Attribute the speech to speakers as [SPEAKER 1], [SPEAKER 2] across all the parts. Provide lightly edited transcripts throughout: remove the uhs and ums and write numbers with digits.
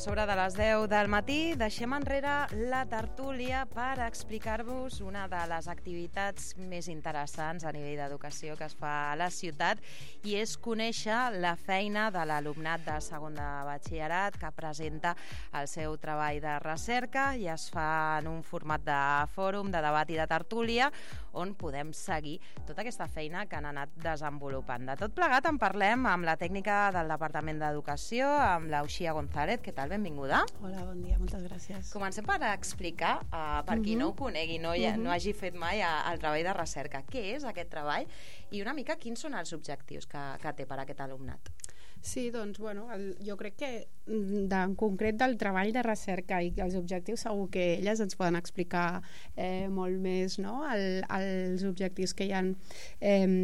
[SPEAKER 1] sobre de les 10 del matí, deixem enrere la tertúlia per explicar-vos una de les activitats més interessants a nivell d'educació que es fa a la ciutat, i és conèixer la feina de l'alumnat de segon de batxillerat que presenta el seu treball de recerca, i es fa en un format de fòrum, de debat i de tertúlia, on podem seguir tota aquesta feina que han anat desenvolupant. De tot plegat en parlem amb la tècnica del Departament d'Educació, amb l'Uxia González. Què tal? Benvinguda.
[SPEAKER 2] Hola, bon dia, moltes gràcies.
[SPEAKER 1] Comencem per explicar, per qui no ho conegui, no hagi fet mai el treball de recerca. Què és aquest treball i una mica quins són els objectius que té per aquest alumnat?
[SPEAKER 2] Sí, doncs, bueno, jo crec que en concret del treball de recerca i els objectius segur que elles ens poden explicar molt més, no?, els objectius que hi ha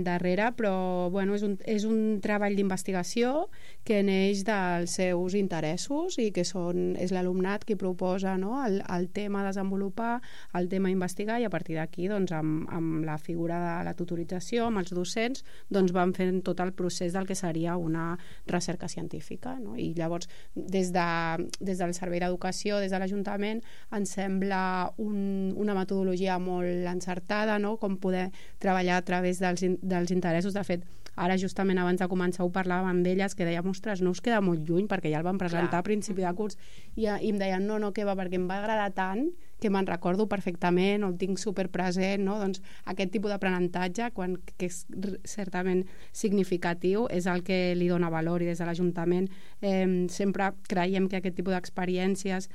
[SPEAKER 2] darrere, però bueno, és un treball d'investigació que neix dels seus interessos i que és l'alumnat qui proposa, no?, el tema a desenvolupar, el tema a investigar, i a partir d'aquí, doncs, amb la figura de la tutorització, amb els docents, doncs van fent tot el procés del que seria una recerca científica, no? I llavors des del Servei d'Educació, des de l'Ajuntament, ens sembla una metodologia molt encertada, no?, com poder treballar a través dels interessos. De fet, ara justament abans de començar ho parlàvem amb elles, que dèiem, ostres, no us queda molt lluny, perquè ja el vam presentar a principi de curs, i em deien, no, que va, perquè em va agradar tant que me'n recordo perfectament, o el tinc superpresent, no? Doncs aquest tipus d'aprenentatge, que és certament significatiu, és el que li dona valor, i des de l'Ajuntament sempre creiem que aquest tipus d'experiències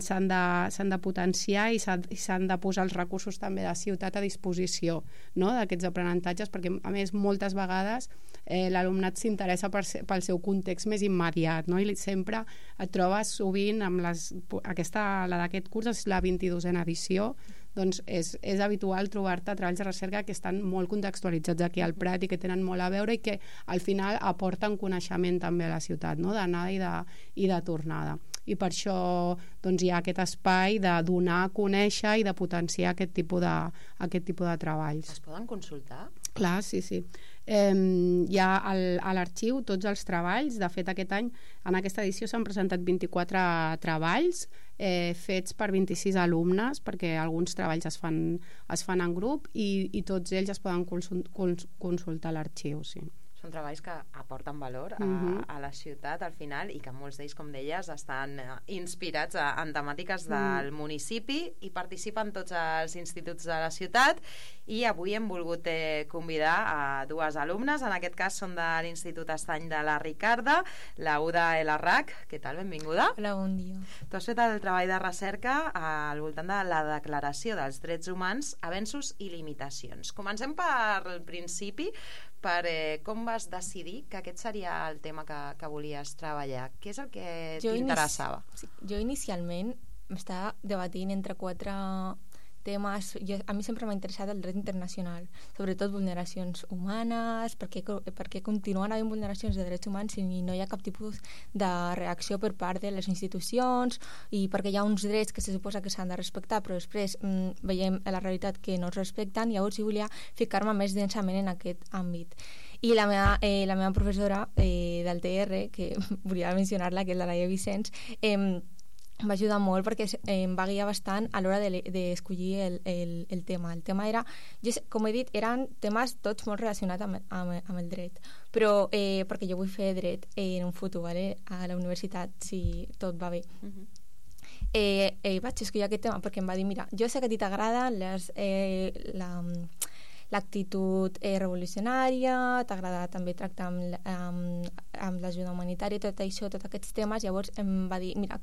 [SPEAKER 2] s'han de potenciar i s'han de posar els recursos també de ciutat a disposició, no?, d'aquests aprenentatges, perquè a més moltes vegades l'alumnat s'interessa pel seu context més immediat, no?, i sempre et trobes sovint amb la d'aquest curs, és la 22a edició, doncs és habitual trobar-te treballs de recerca que estan molt contextualitzats aquí al Prat i que tenen molt a veure i que al final aporten coneixement també a la ciutat, no?, d'anada i de tornada. I per això doncs, hi ha aquest espai de donar a conèixer i de potenciar aquest tipus de treballs.
[SPEAKER 1] Es poden consultar?
[SPEAKER 2] Clar, sí. Hi ha a l'arxiu tots els treballs. De fet, aquest any, en aquesta edició, s'han presentat 24 treballs fets per 26 alumnes, perquè alguns treballs es fan en grup, i tots ells es poden consultar a l'arxiu, sí.
[SPEAKER 1] Són treballs que aporten valor a la ciutat al final, i que molts d'ells, com deies, estan inspirats en temàtiques del municipi, i participen tots els instituts de la ciutat. I avui hem volgut convidar a dues alumnes, en aquest cas són de l'Institut Estany de la Ricarda, la Uda Elarrac. Què tal? Benvinguda.
[SPEAKER 3] Hola, bon dia.
[SPEAKER 1] Tu has fet el treball de recerca al voltant de la Declaració dels Drets Humans, Avenços i Limitacions. Comencem pel principi, per com vas decidir que aquest seria el tema que volies treballar. Què és el que t'interessava?
[SPEAKER 3] Jo inicialment m'estava debatint entre 4 temes. A mi sempre m'ha interessat el dret internacional, sobretot vulneracions humanes, perquè continuen havent vulneracions de drets humans si no hi ha cap tipus de reacció per part de les institucions, i perquè hi ha uns drets que se suposa que s'han de respectar, però després veiem a la realitat que no es respecten. Llavors jo volia ficar-me més densament en aquest àmbit. I la meva professora del TR, que volia mencionar-la, que és la Laia Vicenç, va ajudar molt perquè em va guiar bastant a l'hora d'escollir el tema. El tema era, com he dit, eren temes tots molt relacionats amb el dret, però perquè jo vull fer dret en un futur, a la universitat, si tot va bé. Vaig escollir aquest tema perquè em va dir, mira, jo sé que a ti t'agrada l'actitud revolucionària, t'agrada també tractar amb l'ajuda humanitària, tot això, tots aquests temes. Llavors em va dir, mira,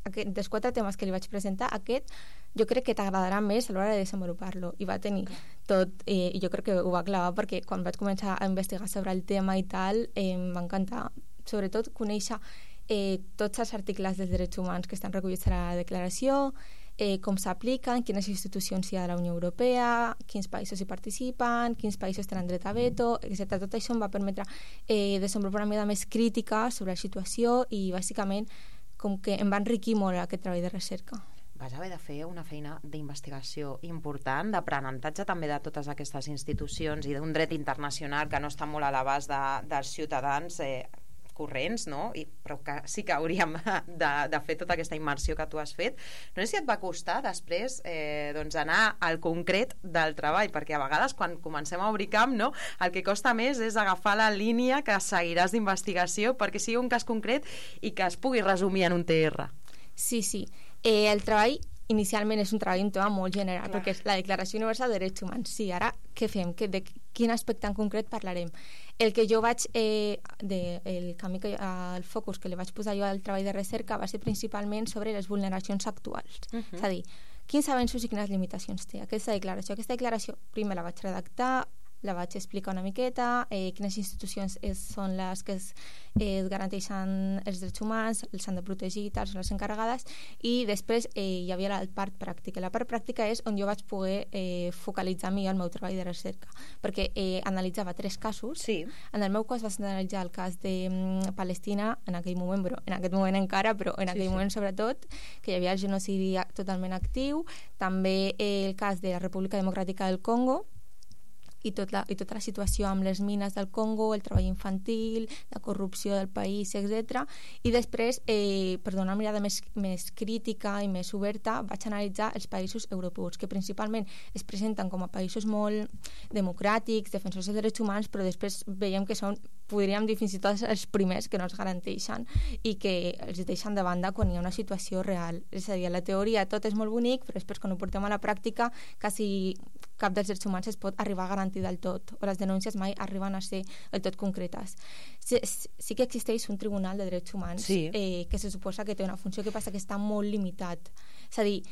[SPEAKER 3] dels 4 temes que li vaig presentar, aquest jo crec que t'agradarà més a l'hora de desenvolupar-lo. I va tenir tot, i jo crec que ho va clavar, perquè quan vaig començar a investigar sobre el tema i tal, em va encantar, sobretot, conèixer tots els articles dels drets humans que estan recollits a la declaració, com s'apliquen, quines institucions hi ha de la Unió Europea, quins països hi participen, quins països tenen dret a veto, etc. Tot això em va permetre desenvolupar una mirada més crítica sobre la situació, i bàsicament com que em va enriquir molt aquest treball de recerca.
[SPEAKER 1] Vas haver de fer una feina d'investigació important, d'aprenentatge també de totes aquestes institucions i d'un dret internacional que no està molt a l'abast dels ciutadans corrents, no? Però que sí que hauríem de fer tota aquesta immersió que tu has fet. No sé si et va costar després doncs anar al concret del treball, perquè a vegades quan comencem a obrir camp, no, el que costa més és agafar la línia que seguiràs d'investigació perquè sigui un cas concret i que es pugui resumir en un TR.
[SPEAKER 3] Sí. El treball inicialment és un treball un tema molt general,
[SPEAKER 1] Clar.
[SPEAKER 3] perquè és la Declaració Universal de Drets Humans. Sí, ara què fem? De quin aspecte en concret parlarem? El que jo vaig, el camí, el focus que li vaig posar jo al treball de recerca va ser principalment sobre les vulneracions actuals. És a dir, quins avenços i quines limitacions té aquesta declaració. Aquesta declaració primer la vaig redactar, la vaig explicar una miqueta, quines institucions són les que es garanteixen els drets humans, els han de protegir, tal, són les encarregades, i després hi havia la part pràctica. La part pràctica és on jo vaig poder focalitzar millor el meu treball de recerca, perquè analitzava 3 casos.
[SPEAKER 1] Sí.
[SPEAKER 3] En el meu cas vaig analitzar el cas de Palestina, en aquell moment, però en aquest moment encara, però en aquell moment sobretot, que hi havia el genocidi totalment actiu, també el cas de la República Democràtica del Congo, i tota la situació amb les mines del Congo, el treball infantil, la corrupció del país, etc. I després, per donar una mirada més crítica i més oberta, vaig analitzar els països europeus, que principalment es presenten com a països molt democràtics, defensors dels drets humans, però després veiem que són, podríem dir, fins i tot els primers que no els garanteixen i que els deixen de banda quan hi ha una situació real. És a dir, a la teoria tot és molt bonic, però després quan ho portem a la pràctica quasi cap dels drets humans es pot arribar a garantir del tot, o les denúncies mai arriben a ser del tot concretes. Sí que existeix un tribunal de drets humans que se suposa que té una funció, que passa que està molt limitat. És a dir,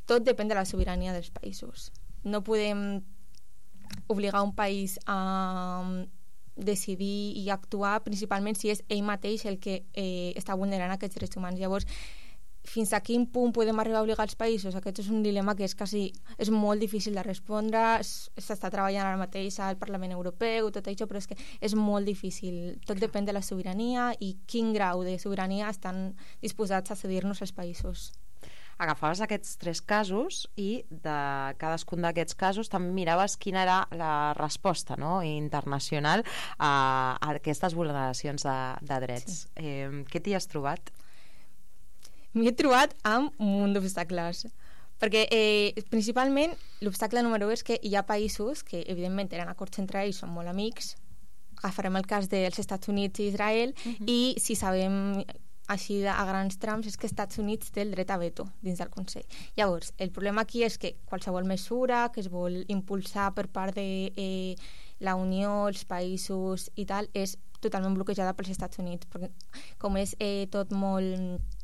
[SPEAKER 3] tot depèn de la sobirania dels països. No podem obligar un país a decidir i actuar principalment si és ell mateix el que està vulnerant aquests drets humans. Llavors, fins a quin punt podem arribar a obligar els països? Aquest és un dilema que és molt difícil de respondre. S'està treballant ara mateix al Parlament Europeu, tot això, però és que és molt difícil. Tot depèn de la sobirania i quin grau de sobirania estan disposats a cedir-nos els països.
[SPEAKER 1] Agafaves aquests 3 casos i de cadascun d'aquests casos també miraves quina era la resposta, no, internacional a aquestes vulneracions de drets. Sí. Què t'hi has trobat?
[SPEAKER 3] M'hi he trobat amb un munt d'obstacles, perquè principalment l'obstacle número 1 és que hi ha països que evidentment tenen acords entre ells, són molt amics. Agafarem el cas dels Estats Units i Israel, i si sabem així a grans trams és que Estats Units té el dret a veto dins del Consell. Llavors, el problema aquí és que qualsevol mesura que es vol impulsar per part de la Unió, els països i tal, és totalment bloquejada pels Estats Units, perquè com és tot molt...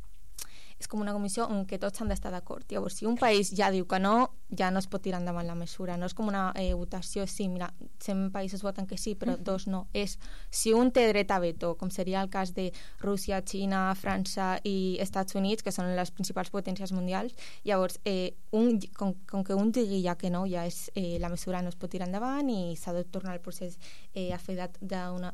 [SPEAKER 3] és com una comissió en què tots han d'estar d'acord. Llavors, si un país ja diu que no, ja no es pot tirar endavant la mesura. No és com una votació, sí, mira, 100 països voten que sí, però 2 no. És si un té dret a veto, com seria el cas de Rússia, Xina, França i Estats Units, que són les principals potències mundials, llavors, com que un digui ja que no, ja és, la mesura no es pot tirar endavant i s'ha de tornar el procés a fer d'una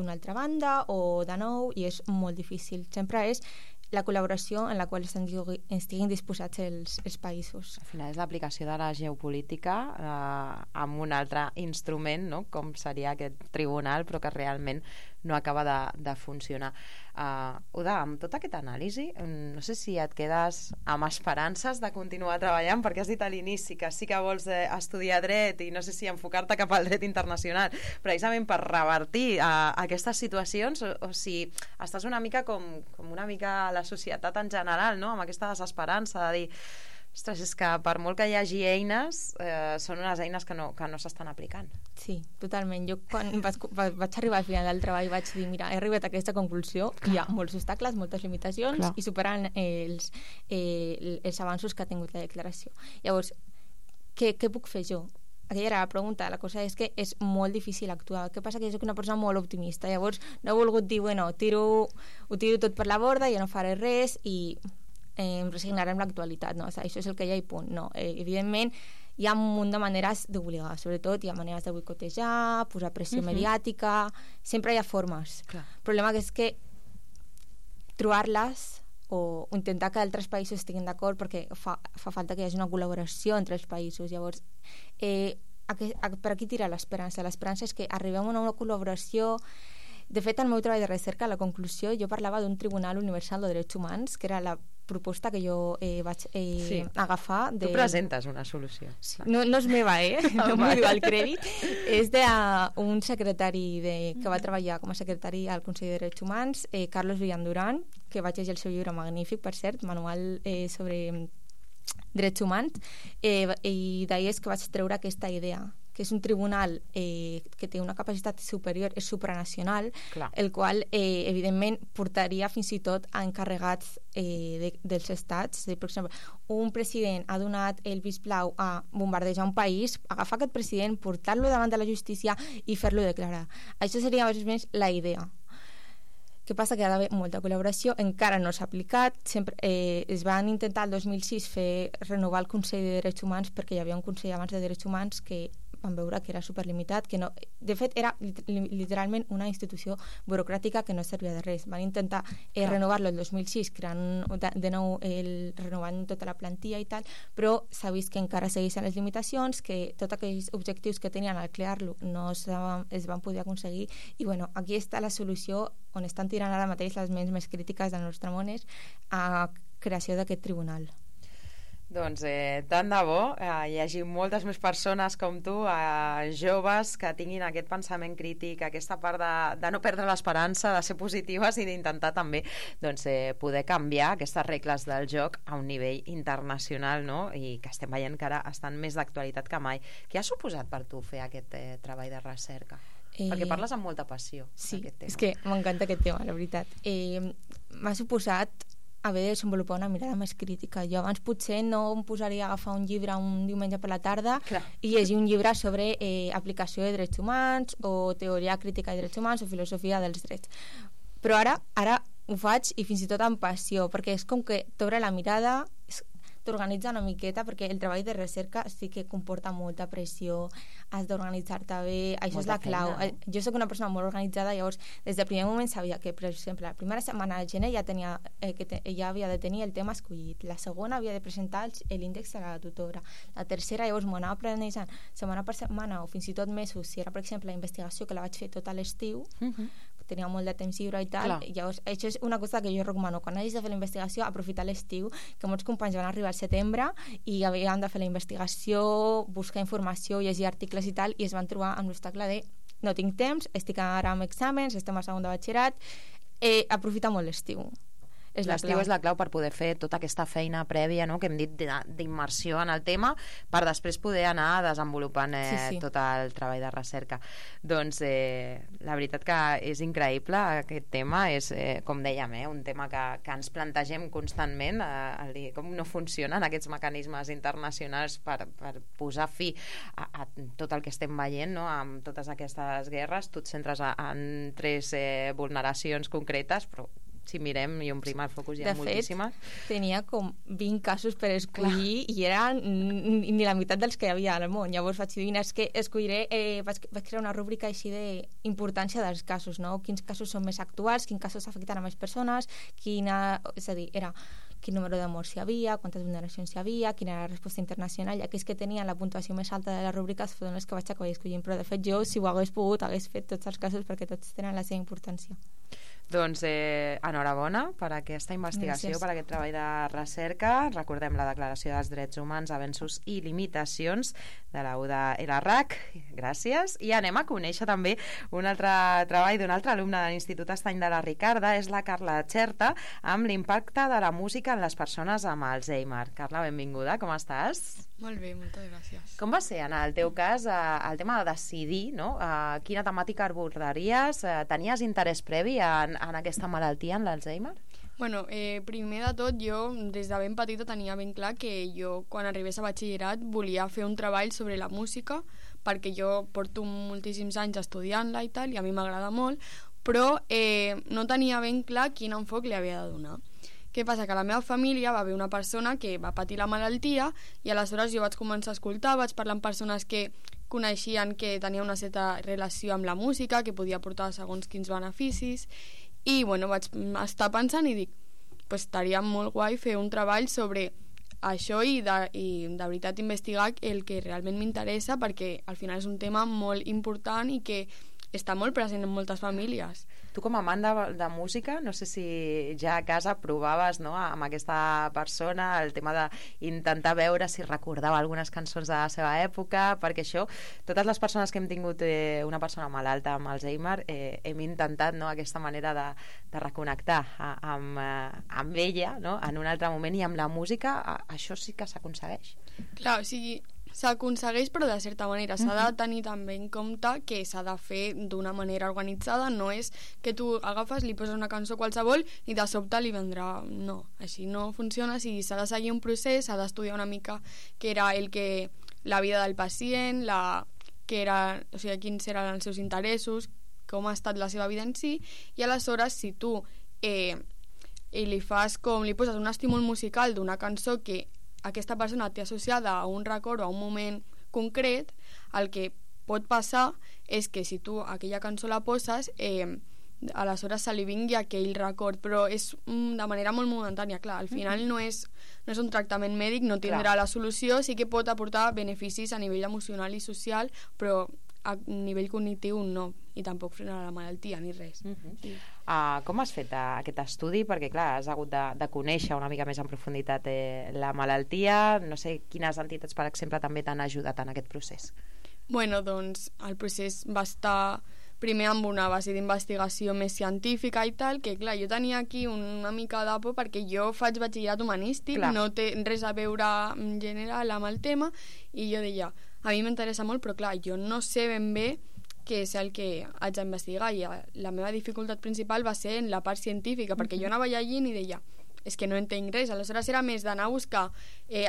[SPEAKER 3] altra banda o de nou, i és molt difícil. Sempre és la col·laboració en la qual estiguin disposats els països.
[SPEAKER 1] Al final és l'aplicació de la geopolítica amb un altre instrument, no? Com seria aquest tribunal, però que realment no acaba de funcionar. Uda, amb tota aquesta anàlisi, no sé si et quedes amb esperances de continuar treballant, perquè has dit a l'inici que sí que vols estudiar dret i no sé si enfocar-te cap al dret internacional, precisament per revertir aquestes situacions, o si estàs una mica com una mica a la societat en general, no? Amb aquesta desesperança de dir, ostres, és que per molt que hi hagi eines, són unes eines que no s'estan aplicant.
[SPEAKER 3] Sí, totalment. Jo quan vaig arribar al final del treball vaig dir, mira, he arribat a aquesta conclusió, hi ha molts obstacles, moltes limitacions, i superant els avanços que ha tingut la declaració. Llavors, què puc fer jo? Aquella era la pregunta. La cosa és que és molt difícil actuar. Què passa? Que jo soc una persona molt optimista. Llavors no he volgut dir, bueno, ho tiro tot per la borda, ja no faré res i em resignaré amb l'actualitat. No? Això és el que hi ha i punt. No. Evidentment, hi ha un munt de maneres d'obligar. Sobretot hi ha maneres de boicotejar, posar pressió mediàtica. Sempre hi ha formes. Clar. El problema és que trobar-les o intentar que altres països estiguin d'acord, perquè fa falta que hi hagi una col·laboració entre els països. Llavors, per aquí tira l'esperança. L'esperança és que arribem a una col·laboració De fet, al meu treball de recerca, a la conclusió, jo parlava d'un Tribunal Universal de Drets Humans, que era la proposta que jo vaig agafar.
[SPEAKER 1] Tu presentes una solució.
[SPEAKER 3] Sí. No és meva, no m'ho diu el crèdit. És d'un secretari que va treballar com a secretari al Consell de Drets Humans, Carlos Villanduran, que vaig llegir el seu llibre magnífic, per cert, manual sobre drets humans, i d'ahir és que vaig treure aquesta idea, que és un tribunal que té una capacitat superior, és supranacional,
[SPEAKER 1] Clar.
[SPEAKER 3] el qual, evidentment, portaria fins i tot a encarregats dels estats. Per exemple, un president ha donat el vistblau a bombardejar un país, agafar aquest president, portar-lo davant de la justícia i fer-lo declarar. Això seria més o menys la idea. Què passa? Que hi ha d'haver molta col·laboració, encara no s'ha aplicat. Es van intentar el 2006 renovar el Consell de Drets Humans, perquè hi havia un Consell abans de Drets Humans que van veure que era superlimitat, que no, de fet era literalment una institució burocràtica que no servia de res. Van intentar renovar-lo el 2006, creant de nou renovant tota la plantilla i tal, però s'ha vist que encara segueixen les limitacions, que tots aquells objectius que tenien al crear-lo no es van poder aconseguir, i bueno, aquí està la solució on estan tirant ara mateix les ments més crítiques del nostre món, és a creació d'aquest tribunal.
[SPEAKER 1] Doncs tant de bo hi hagi moltes més persones com tu, joves, que tinguin aquest pensament crític, aquesta part de no perdre l'esperança, de ser positives i d'intentar també poder canviar aquestes regles del joc a un nivell internacional, no? I que estem veient que ara estan més d'actualitat que mai. Què ha suposat per tu fer aquest treball de recerca? Perquè parles amb molta passió d'aquest tema.
[SPEAKER 3] És que m'encanta aquest tema, la veritat. M'ha suposat haver de desenvolupar una mirada més crítica. Jo abans potser no em posaria a agafar un llibre un diumenge per la tarda i llegir un llibre sobre aplicació de drets humans o teoria crítica de drets humans o filosofia dels drets. Però ara ho faig, i fins i tot amb passió, perquè és com que t'obre la mirada, t'organitza una miqueta, perquè el treball de recerca sí que comporta molta pressió, has d'organitzar-te bé, això és la clau. Jo soc una persona molt organitzada, llavors des del primer moment sabia que, per exemple, la primera setmana de gener ja havia de tenir el tema escollit, la segona havia de presentar l'índex a la tutora, la tercera llavors m'ho anava planejant setmana per setmana o fins i tot mesos, si era per exemple la investigació que la vaig fer tot a l'estiu, tenia molt de temps lliure i tal. Llavors, això és una cosa que jo recomano. Quan hagis de fer la investigació, aprofitar l'estiu, que molts companys van arribar al setembre i havien de fer la investigació, buscar informació, llegir articles i tal, i es van trobar amb l'obstacle de no tinc temps, estic ara amb exàmens, estem a segon de batxillerat, aprofita molt l'estiu.
[SPEAKER 1] L'estiu és la clau per poder fer tota aquesta feina prèvia, no?, que hem dit d'immersió en el tema, per després poder anar desenvolupant tot el treball de recerca. Doncs la veritat que és increïble aquest tema, és, com dèiem, un tema que ens plantegem constantment, el dir com no funcionen aquests mecanismes internacionals per posar fi a tot el que estem veient, no?, amb totes aquestes guerres. Tu et centres en 3 vulneracions concretes, però si mirem i omplim el focus hi ha moltíssimes.
[SPEAKER 3] De fet, tenia com 20 casos per escollir i eren ni la meitat dels que hi havia al món. Llavors vaig dir, és que escolliré, vaig crear una rúbrica així d'importància dels casos, no? Quins casos són més actuals, quins casos afecten a més persones, és a dir, era quin número de morts hi havia, quantes vulneracions hi havia, quina era la resposta internacional, i aquells que tenien la puntuació més alta de les rúbriques foren els que vaig acabar escollint, però de fet jo, si ho hagués pogut, hagués fet tots els casos perquè tots tenen la seva importància.
[SPEAKER 1] Doncs enhorabona per aquesta investigació, per aquest treball de recerca. Recordem la Declaració dels Drets Humans, Avenços i Limitacions de la UDA LRAC. Gràcies. I anem a conèixer també un altre treball d'un altre alumne de l'Institut Estany de la Ricarda, és la Carla Xerta, amb l'impacte de la música en les persones amb Alzheimer. Carla, benvinguda, com estàs?
[SPEAKER 4] Molt bé, moltes gràcies.
[SPEAKER 1] Com va ser, en el teu cas, el tema de decidir, no? Quina temàtica abordaries? Tenies interès previ en aquesta malaltia, en l'Alzheimer?
[SPEAKER 4] Bueno, primer de tot, jo des de ben petita tenia ben clar que jo, quan arribés a batxillerat, volia fer un treball sobre la música, perquè jo porto moltíssims anys estudiant-la i tal, i a mi m'agrada molt, però no tenia ben clar quin enfoc li havia de donar. Què passa? Que a la meva família va haver una persona que va patir la malaltia i aleshores jo vaig començar a escoltar, vaig parlar amb persones que coneixien que tenia una certa relació amb la música, que podia portar segons quins beneficis, i bueno, vaig estar pensant i dic, pues estaria molt guai fer un treball sobre això i de veritat investigar el que realment m'interessa, perquè al final és un tema molt important i que està molt present en moltes famílies.
[SPEAKER 1] Tu com a amant de música, no sé si ja a casa provaves, no, amb aquesta persona el tema d'intentar veure si recordava algunes cançons de la seva època, perquè això, totes les persones que hem tingut una persona malalta amb Alzheimer, hem intentat, no, aquesta manera de reconnectar amb ella, no, en un altre moment, i amb la música això sí que s'aconsegueix.
[SPEAKER 4] Clar, o sigui, s'aconsegueix, però de certa manera s'ha de tenir també en compte que s'ha de fer d'una manera organitzada, no és que tu agafes, li poses una cançó qualsevol i de sobte li vendrà, no, així no funciona, si s'ha de seguir un procés, s'ha d'estudiar una mica què era la vida del pacient, o sigui, quins eren els seus interessos, com ha estat la seva vida en si, i aleshores si tu li poses un estímul musical d'una cançó que aquesta persona té associada a un record o a un moment concret, el que pot passar és que si tu aquella cançó la poses, aleshores se li vingui aquell record, però és de manera molt momentània, clar, al final no és un tractament mèdic, no tindrà la solució, sí que pot aportar beneficis a nivell emocional i social, però a nivell cognitiu no, i tampoc frenarà la malaltia ni res.
[SPEAKER 1] Com has fet aquest estudi? Perquè clar, has hagut de conèixer una mica més en profunditat la malaltia, no sé quines entitats per exemple també t'han ajudat en aquest procés.
[SPEAKER 4] Bueno, doncs el procés va estar primer amb una base d'investigació més científica i tal, que clar, jo tenia aquí una mica de por perquè jo faig batxillerat humanístic, no té res a veure en general amb el tema, i jo deia, a mi m'interessa molt, però clar, jo no sé ben bé què és el que haig d'investigar, i la meva dificultat principal va ser en la part científica, perquè jo anava llegint i deia, és que no entenc res, aleshores era més d'anar a buscar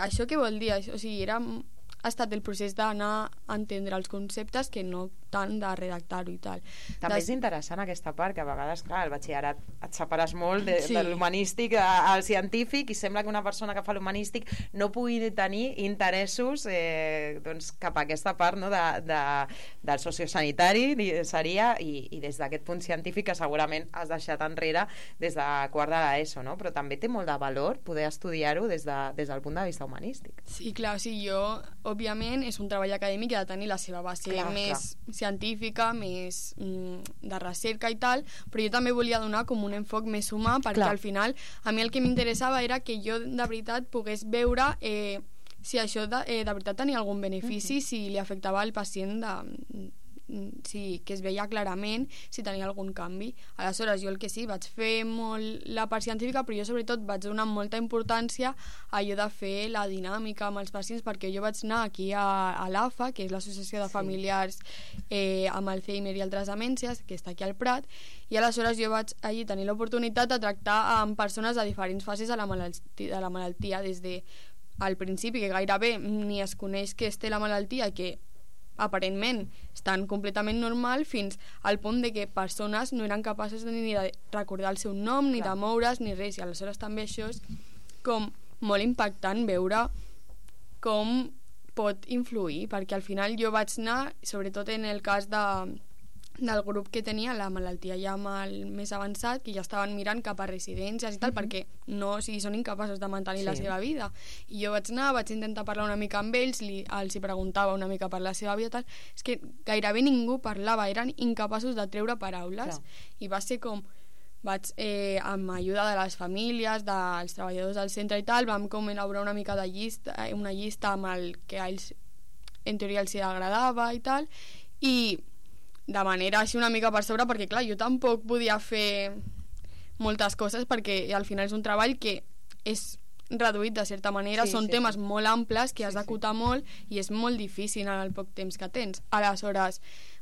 [SPEAKER 4] això què vol dir, o sigui, ha estat el procés d'anar a entendre els conceptes que no tant de redactar-ho i tal.
[SPEAKER 1] També és interessant aquesta part, que a vegades, clar, el batxillerat et separes molt de l'humanístic al científic, i sembla que una persona que fa l'humanístic no pugui tenir interessos doncs, cap a aquesta part, no, del sociosanitari seria, i des d'aquest punt científic que segurament has deixat enrere des de quart de l'ESO, no? Però també té molt de valor poder estudiar-ho des del punt de vista humanístic.
[SPEAKER 4] Sí, clar, o sigui, òbviament és un treball acadèmic i ha de tenir la seva base més científica, més de recerca i tal, però jo també volia donar com un enfoc més humà, perquè al final a mi el que m'interessava era que jo de veritat pogués veure si això de veritat tenia algun benefici, si li afectava al pacient que es veia clarament si tenia algun canvi. Aleshores jo el que sí, vaig fer molt la part científica, però jo sobretot vaig donar molta importància a allò de fer la dinàmica amb els pacients, perquè jo vaig anar aquí a l'AFA, que és l'Associació de Familiars amb Alzheimer i altres demències, que està aquí al Prat, i aleshores jo vaig allí tenir l'oportunitat de tractar amb persones a diferents fases de la malaltia, des de al principi, que gairebé ni es coneix que es té la malaltia, que aparentment estan completament normal, fins al punt de que persones no eren capaces ni de recordar el seu nom, ni de moure's, ni res, i aleshores també això és com molt impactant veure com pot influir, perquè al final jo vaig anar, sobretot en el cas del grup que tenia la malaltia ja més avançat, que ja estaven mirant cap a residències i tal, perquè són incapaços de mantenir la seva vida, i jo vaig intentar parlar una mica amb ells, els hi preguntava una mica per la seva vida, tal, és que gairebé ningú parlava, eren incapaços de treure paraules, i va ser com amb ajuda de les famílies, dels treballadors del centre i tal, vam com elaborar una mica de una llista amb el que a ells en teoria els agradava i tal, i de manera així una mica per sobre, perquè clar, jo tampoc podia fer moltes coses, perquè al final és un treball que és reduït de certa manera, són temes molt amples que has d'acotar molt, i és molt difícil en el poc temps que tens. Aleshores,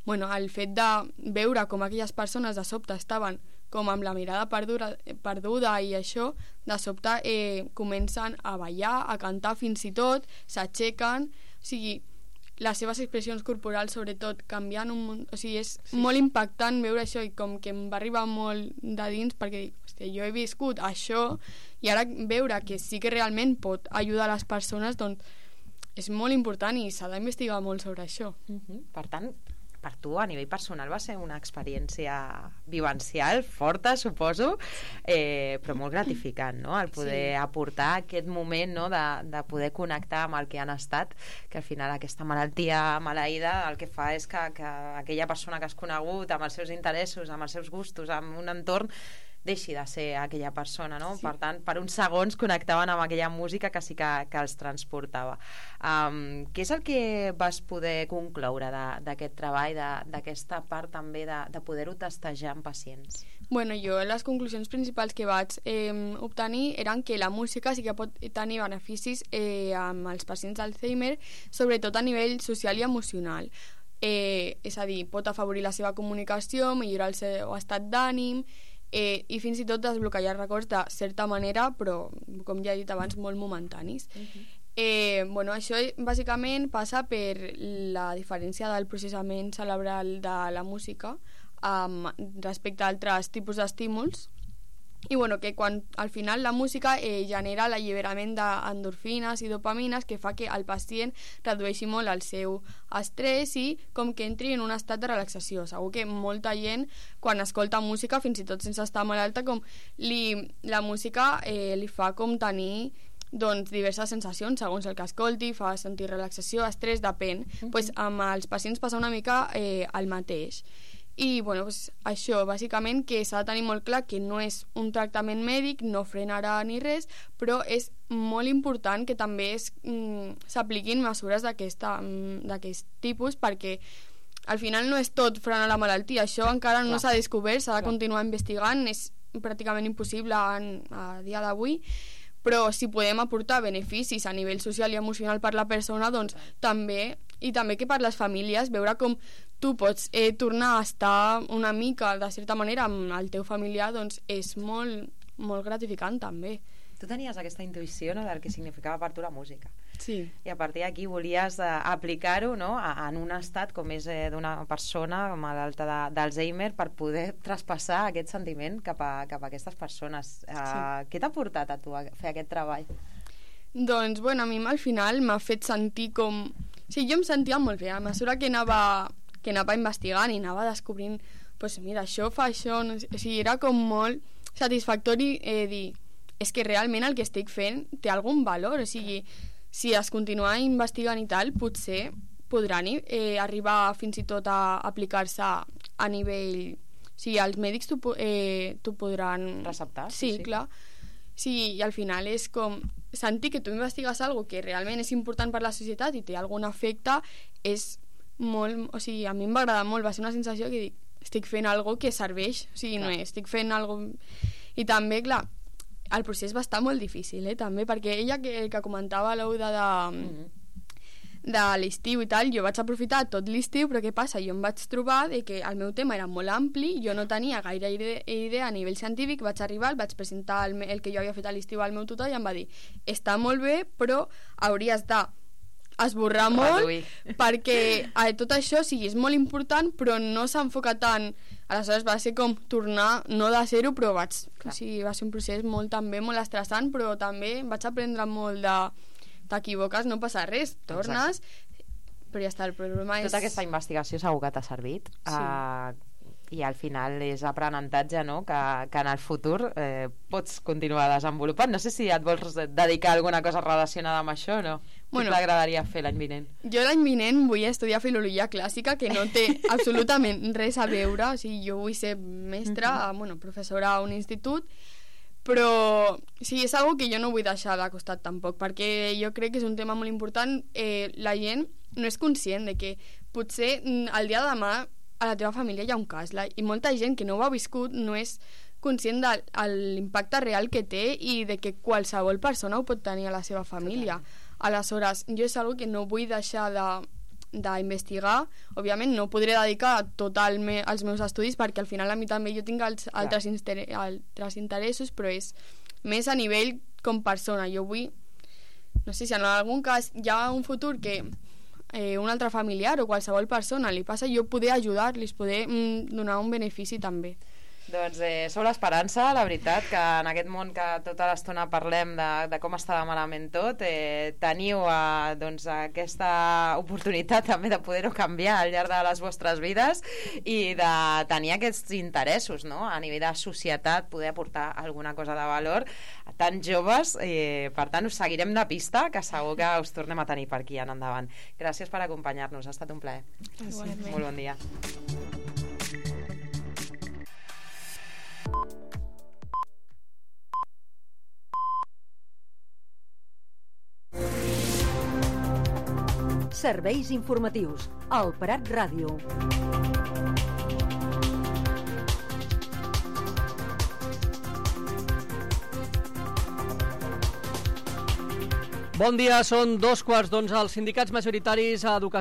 [SPEAKER 4] el fet de veure com aquelles persones de sobte estaven com amb la mirada perduda i això, de sobte comencen a ballar, a cantar fins i tot, s'aixequen, o sigui, les seves expressions corporals sobretot canviant o sigui, és molt impactant veure això, i com que em va arribar molt de dins, perquè jo he viscut això, i ara veure que sí que realment pot ajudar les persones, doncs és molt important i s'ha d'investigar molt sobre això.
[SPEAKER 1] Per tant, per tu, a nivell personal, va ser una experiència vivencial, forta, suposo, però molt gratificant, no?, el poder aportar aquest moment, no?, de poder connectar amb el que han estat, que al final aquesta malaltia maleïda el que fa és que aquella persona que has conegut, amb els seus interessos, amb els seus gustos, amb un entorn, deixi de ser aquella persona, no? Sí. Per tant, per uns segons connectaven amb aquella música que sí que els transportava. Què és el que vas poder concloure d'aquest treball, d'aquesta part també de poder-ho testejar amb pacients?
[SPEAKER 4] Bueno, jo les conclusions principals que vaig obtenir eren que la música sí que pot tenir beneficis amb els pacients d'Alzheimer, sobretot a nivell social i emocional. És a dir, pot afavorir la seva comunicació, millorar el seu estat d'ànim, i fins i tot desbloquejar records de certa manera, però com ja he dit abans, molt momentanis. Bueno, això bàsicament passa per la diferència del processament cerebral de la música respecte a altres tipus d'estímuls, i bueno, que quan al final la música genera l'alliberament d'endorfines i dopamines, que fa que el pacient redueixi molt el seu estrès i com que entri en un estat de relaxació. Segur que molta gent quan escolta música, fins i tot sense estar malalta, com la música li fa com tenir doncs diverses sensacions segons el que escolti, fa sentir relaxació, estrès, depèn. Pues amb els pacients passa una mica el mateix. I bueno, pues això, bàsicament, que s'ha de tenir molt clar que no és un tractament mèdic, no frenarà ni res, però és molt important que també s'apliquin mesures d'aquest tipus, perquè al final no és tot frenar la malaltia, això encara no s'ha descobert, s'ha de continuar investigant, és pràcticament impossible a dia d'avui, però si podem aportar beneficis a nivell social i emocional per la persona, doncs també, i també que per les famílies, veure com tu pots tornar a estar una mica, de certa manera, amb el teu familiar, doncs és molt, molt gratificant també.
[SPEAKER 1] Tu tenies aquesta intuïció, no?, del que significava per tu la música.
[SPEAKER 4] Sí.
[SPEAKER 1] I a partir d'aquí volies aplicar-ho, no?, en un estat com és d'una persona malalta d'Alzheimer, per poder traspassar aquest sentiment cap a aquestes persones. Sí. Què t'ha portat a tu a fer aquest treball?
[SPEAKER 4] Doncs, bueno, a mi al final m'ha fet sentir com... Sí, jo em sentia molt bé, a mesura que anava investigant i anava descobrint, pues mira, això fa això, no sé, o sigui, era com molt satisfactori dir, és que realment el que estic fent té algun valor, o sigui, si es continua investigant i tal, potser podran arribar fins i tot a aplicar-se a nivell... O sigui, els mèdics t'ho podran...
[SPEAKER 1] receptar?
[SPEAKER 4] Sí, clar. Sí, i al final és com sentir que tu investigues alguna cosa que realment és important per la societat i té algun efecte, és molt... O sigui, a mi em va agradar molt, va ser una sensació que dic, estic fent alguna cosa que serveix, o sigui, no estic fent alguna cosa... I també, clar, el procés va estar molt difícil, també, perquè ella que comentava l'Ouda de l'estiu i tal, jo vaig aprofitar tot l'estiu, però què passa? Jo em vaig trobar que el meu tema era molt ampli, jo no tenia gaire idea a nivell científic, vaig arribar, vaig presentar el que jo havia fet a l'estiu al meu tutor i em va dir, està molt bé, però hauries d'esborrar molt, perquè tot això és molt important, però no s'enfoca tant. Aleshores va ser com tornar, no de zero, però va ser un procés molt estressant, però també vaig aprendre molt t'equivoques, no passa res, tornes. Exacte. Però ja està, el problema és...
[SPEAKER 1] Tota aquesta investigació segur que t'ha servit, i al final és aprenentatge, no?, que en el futur pots continuar desenvolupant. No sé si et vols dedicar a alguna cosa relacionada amb això o no. Bueno, què t'agradaria fer l'any vinent?
[SPEAKER 4] Jo l'any vinent vull estudiar filologia clàssica, que no té absolutament res a veure, o sigui, jo vull ser mestra, professora a un institut, però sí, és una que jo no vull deixar de costat tampoc, perquè jo crec que és un tema molt important. La gent no és conscient de que potser el dia de demà a la teva família hi ha un cas, i molta gent que no ho ha viscut no és conscient de l'impacte real que té i de que qualsevol persona ho pot tenir a la seva família. Aleshores, jo és una que no vull deixar d'investigar. Òbviament no podré dedicar tot als meus estudis, perquè al final a mi també jo tinc altres interessos, però és més a nivell com persona. Jo vull, no sé si en algun cas hi ha un futur que un altre familiar o qualsevol persona li passa, jo poder ajudar-los, poder donar un benefici també.
[SPEAKER 1] Doncs sou l'esperança, la veritat, que en aquest món que tota l'estona parlem de com està de malament tot, teniu doncs, aquesta oportunitat també de poder-ho canviar al llarg de les vostres vides i de tenir aquests interessos, no? A nivell de societat, poder aportar alguna cosa de valor a tants joves. Per tant, us seguirem de pista, que segur que us tornem a tenir per aquí en endavant. Gràcies per acompanyar-nos, ha estat un plaer. Molt bon dia.
[SPEAKER 5] Serveis informatius. El Prat Ràdio.
[SPEAKER 6] Bon dia, són 2:15. Els sindicats majoritaris a Educació